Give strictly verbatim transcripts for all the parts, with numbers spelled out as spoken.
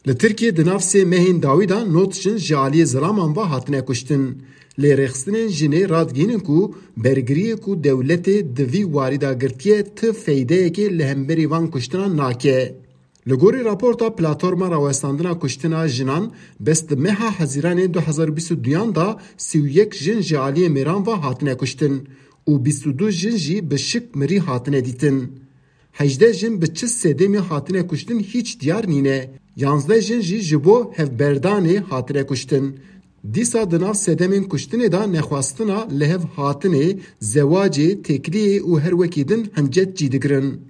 Li Tirkiyê di nav sê mehên dawî de nod jin ji aliyê zilaman ve hatine kuştin. Lê rêxistinên jinê radigihînin ku bergiriyê ku dewletê di vî warî de girtiye ti feydeyekê li hemberî van kuştinan nake. Li gorî raporta Platforma Rawestandina Kuştina Jinan, bes di meha Hezîranê du hezar bîst û duyan de sî û yek jin ji aliyê mêran ve hatine kuştin û bîst û du jin jî bi şik mirî hatine dîtin. Hejdeh jin bi çi sedemê hatine kuştin hîç diyar nîne. Yanzdeh jin jî ji bo hevberdanê hatine kuştin. Dîsa di nav sedemên kuştinê de nexwestina li hev hatinê, zewacê, têkliyê û her wekî din hincet cî digirin.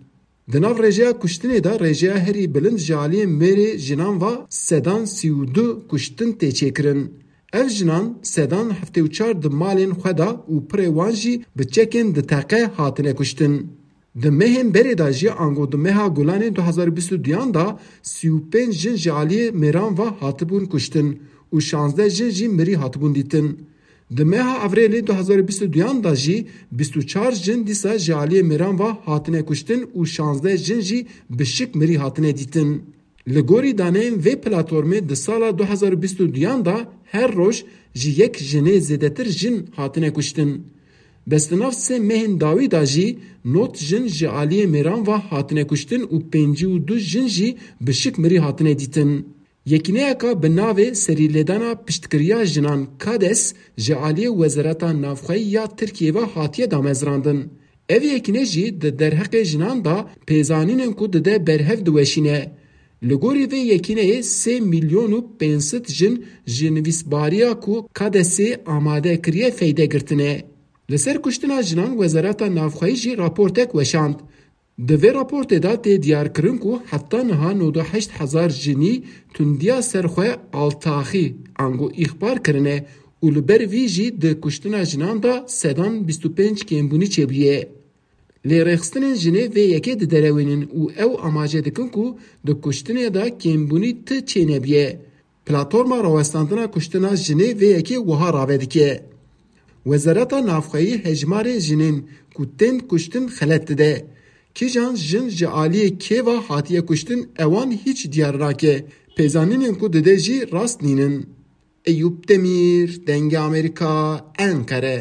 Di nav rêjeya kuştinê de rêjeya herî bilind ji aliyê mêrê jinan ve sedan sî û du kuştin tê çêkirin. Ev jinan sedan heftê û çar di malên xwe de û pirê wan jî bi çekên di teqe hatine kuştin. Di mehên berê de jî ango di meha Gulanê du hezar bîst û duyan de sî û pênc jin ji aliyê mêran ve hatibûn kuştin û şazdeh jin jî mirî hatibûn dîtin. Di meha Evrêlê du hezar bîst û duyan de jî bîst û çar jin dîsa ji aliyê mêran ve hatine kuştin û şazdeh jin jî bi şik mirî hatine dîtin. Li gorî daneyên vê platformê di sala du hezar bîst û duyan de her roj ji yek jinê zêdetir jin hatine kuştin. Bes di nav sê mehên dawî de jî nod jin ji aliyê mêran ve hatine kuştin û pêncî û du jin jî bi şik mirî hatine dîtin. Yekîneyeka bi navê Serîlêdana Piştgiriya Jinan KADES ji aliyê Wezareta Navxweyî ya Tirkiyê ve hatiye damezrandin. Ev yekîne jî di derheqê jinan de pêzanînên ku dide berhev diweşîne. Li gorî vê yekîneyê sê milyon û pênc sed jin ji nivîsbariya ku KADESê amade kiriye feyde girtine. Li ser kuştina jinan Wezareta Navxweyî jî raportek weşand. Di vê raportê de tê diyarkirin ku heta niha nod û heşt hezar jinî tundiya ser xwe altaxî ango îxbar kirine û li ber vî jî di kuştina jinan de sedan bîst û pênc kêmbûnî çêbûye. Lê rêxistinên jinê vê yekê diderewînin û ew amaje dikin ku di kuştinê de kêmbûnî ti çênebiye. Platforma Rawestandina Kuştina Jinê vê yekê wiha rave dike: Wezareta Navxweyî hejmarê jinên ku tên kuştin xelet dide. Kîjan jin ji aliyê kê ve hatiye kuştin, ewan hîç diyar nake. Pêzanînên ku dide jî rast nînin. Eyûp Demîr, Dengê Amerîka, Enqere.